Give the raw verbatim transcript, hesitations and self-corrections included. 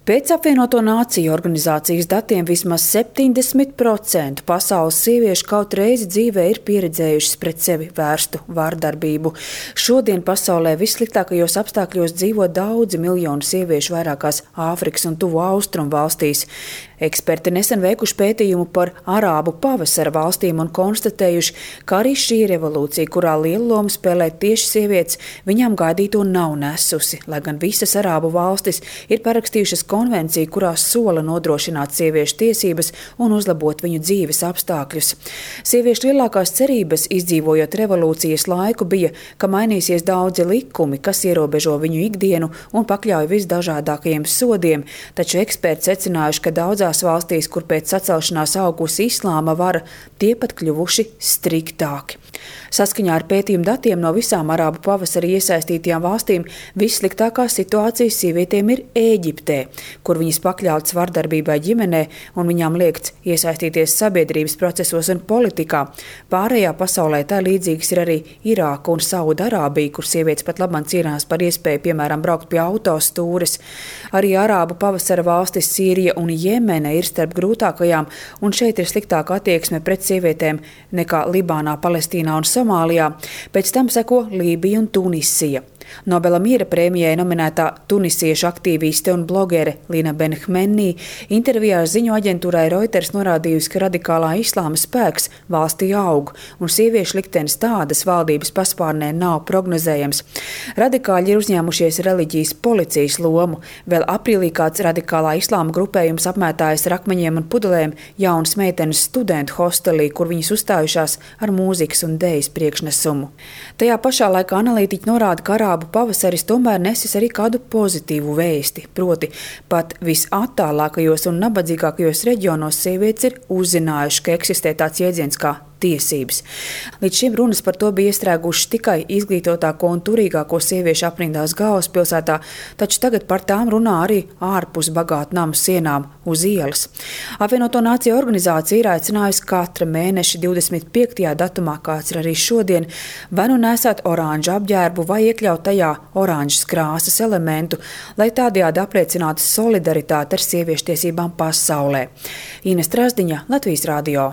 Pēc apvienoto nāciju organizācijas datiem vismaz septiņdesmit procenti pasaules sieviešu kaut reizi dzīvē ir pieredzējušas pret sevi vērstu vardarbību. Šodien pasaulē vissliktākajos apstākļos dzīvo daudzi miljoni sieviešu vairākās Āfrikas un Tuvo Austrumu valstīs. Eksperti nesen veikuši pētījumu par arābu pavasara valstīm un konstatējuši, ka arī šī revolūcija, kurā lielu lomu spēlē tieši sievietes, viņām gaidīto nav nesusi, lai gan visas arābu valstis ir parakstījušas konvenciju, kurā sola nodrošināt sieviešu tiesības un uzlabot viņu dzīves apstākļus. Sieviešu lielākās cerības, izdzīvojot revolūcijas laiku, bija, ka mainīsies daudzi likumi, kas ierobežo viņu ikdienu un pakļauj visdažādākajiem sodiem, taču eksperti secinājuši, ka daudzās valstīs, kur pēc sacelšanās augusi islāma vara, tie pat kļuvuši striktāki. Saskaņā ar pētījumu datiem no visām arābu pavasarī iesaistītajām valstīm vissliktākā situācija sievietēm ir Ēģiptē, kur viņas pakļautas vardarbībai ģimenē un viņām liegts iesaistīties sabiedrības procesos un politikā. Pārējā pasaulē tā līdzīgas ir arī Irāka un Saudarābija, kur sievietes pat labāk cīnās par iespēju, piemēram, braukt pie autostūres. Arī arābu pavasara valstis Sīrija un Jemene ir starp grūtākajām, un šeit ir sliktāka attieksme pret sievietēm nekā Libānā, Palestīnā un Somālijā. Pēc tam seko Lībija un Tunisija. Nobela miera prēmijai nominētā tunisiešu aktīviste un blogere Lina Benhmenī intervijā ziņu aģentūrai Reuters norādījusi, ka radikālā islāma spēks valstī aug, un sieviešu liktenis tādas valdības paspārnē nav prognozējams. Radikāļi ir uzņēmušies reliģijas policijas lomu. Vēl aprīlī kāds radikālā islāma grupējums apmētājas ar akmeņiem un pudelēm jaunas meitenes studentu hostelī, kur viņas uzstājušās ar mūzikas un dejas priekšnesumu. Tajā pašā laikā analītiķi norāda, ka arābu pavasaris tomēr nesis arī kādu pozitīvu vēsti, proti pat visattālākajos un nabadzīgākajos reģionos sievietes ir uzzinājuši, ka eksistē tāds jēdziens kā tiesības. Līdz šim runas par to bija iestrēgušas tikai izglītotāko un turīgāko sieviešu aprindās galvaspilsētā, taču tagad par tām runā arī ārpus bagātu namu sienām uz ielas. Apvienoto nāciju organizācija ir aicinājusi katra mēneša divdesmit piektajā datumā, kāds ir arī šodien, vai nu nesāt oranžu apģērbu vai iekļaut tajā oranžas krāsas elementu, lai tādējādi apliecinātu solidaritāti ar sieviešu tiesībām pasaulē. Ines Trasdiņa, Latvijas radio.